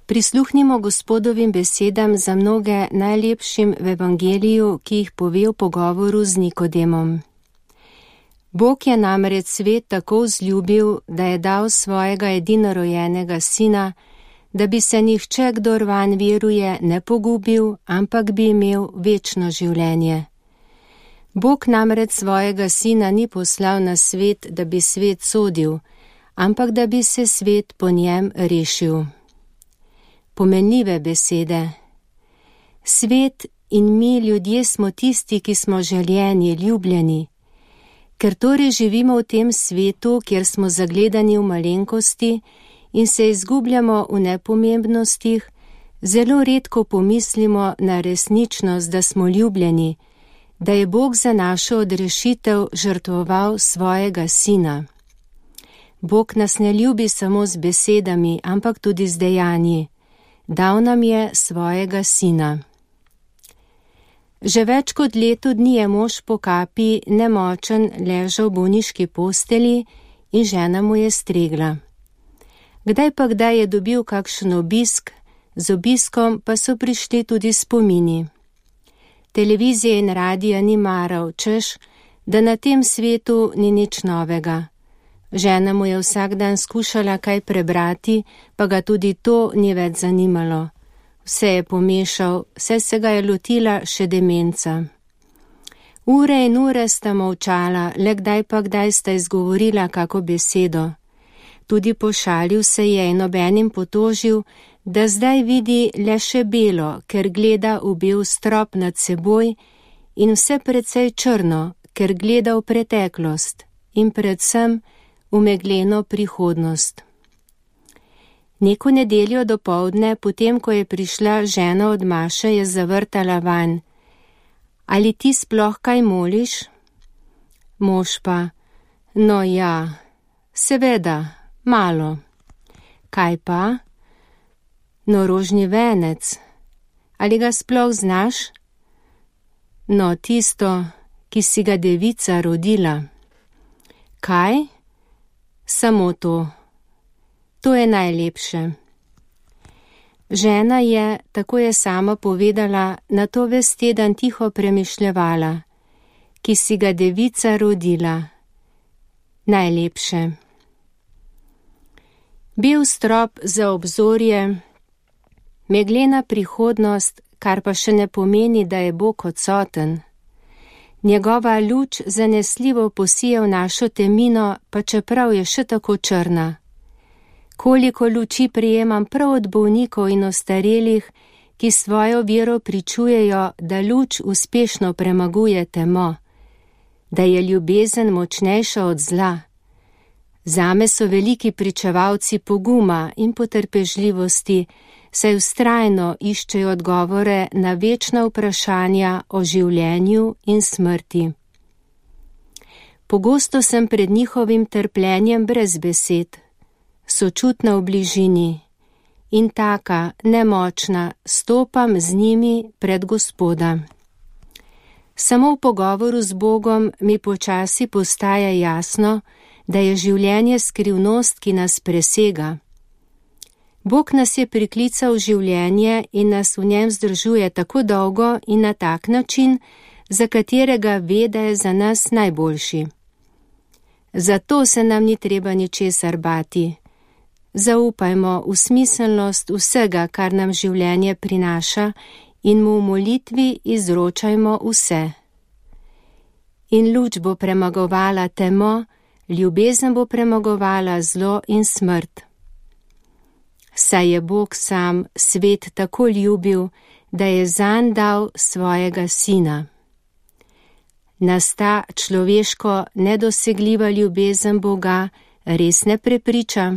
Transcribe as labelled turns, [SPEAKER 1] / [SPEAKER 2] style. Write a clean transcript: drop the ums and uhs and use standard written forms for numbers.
[SPEAKER 1] Prisluhnimo Gospodovim besedam za mnoge najlepšim v evangeliju, ki jih pove v pogovoru z Nikodemom. Bog je namreč svet tako vzljubil, da je dal svojega edinorojenega sina, da bi se nihče, kdor vanj veruje, ne pogubil, ampak bi imel večno življenje. Bog namreč svojega sina ni poslal na svet, da bi svet sodil, ampak da bi se svet po njem rešil. Pomenljive besede. Svet in mi, ljudje, smo tisti, ki smo željeni, ljubljeni. Ker torej živimo v tem svetu, kjer smo zagledani v malenkosti in se izgubljamo v nepomembnostih, zelo redko pomislimo na resničnost, da smo ljubljeni, da je Bog za našo odrešitev žrtvoval svojega sina. Bog nas ne ljubi samo z besedami, ampak tudi z dejanji. Dal nam je svojega sina. Že več kot leto dni je mož po kapi nemočen ležal v bolniški posteli in žena mu je stregla. Kdaj je dobil kakšen obisk, z obiskom pa so prišli tudi spomini. Televizije in radija ni maral, češ, da na tem svetu ni nič novega. Žena mu je vsak dan skušala kaj prebrati, pa ga tudi to ni več zanimalo. Vse je pomešal, vse se ga je lotila še demenca. Ure in ure sta molčala, le kdaj sta izgovorila kako besedo. Tudi pošalil se je in obenem potožil, da zdaj vidi le še belo, ker gleda v bel strop nad seboj in vse precej črno, ker gleda v preteklost in predvsem v megleno prihodnost. Neko nedeljo dopoldne, potem ko je prišla žena od maše, je zavrtala vanj. Ali ti sploh kaj moliš? Mož pa, no ja, seveda, malo. Kaj pa? No, rožni venec. Ali ga sploh znaš? No, tisto, ki si ga devica rodila. Kaj? Samo to. To je najlepše. Žena je, tako je sama povedala, na to ves teden tiho premišljevala, ki si ga devica rodila. Najlepše. Bel strop za obzorje, meglena prihodnost, kar pa še ne pomeni, da je Bog odsoten. Njegova luč zanesljivo posije v našo temino, pa čeprav je še tako črna. Koliko luči prijemam prav od bolnikov in ostarelih, ki svojo vero pričujejo, da luč uspešno premaguje temo, da je ljubezen močnejša od zla. Zame so veliki pričevalci poguma in potrpežljivosti, saj vztrajno iščejo odgovore na večna vprašanja o življenju in smrti. Pogosto sem pred njihovim trpljenjem brez besed, sočutna v bližini in taka, nemočna, stopam z njimi pred Gospoda. Samo v pogovoru z Bogom mi počasi postaja jasno, da je življenje skrivnost, ki nas presega. Bog nas je priklical v življenje in nas v njem zdržuje tako dolgo in na tak način, za katerega ve, da je za nas najboljši. Zato se nam ni treba ničesar bati. Zaupajmo v smiselnost vsega, kar nam življenje prinaša, in mu v molitvi izročajmo vse. In luč bo premagovala temo, ljubezen bo premagovala zlo in smrt. Saj je Bog sam svet tako ljubil, da je zanj dal svojega sina. Nas ta človeško nedosegljiva ljubezen Boga res ne prepriča?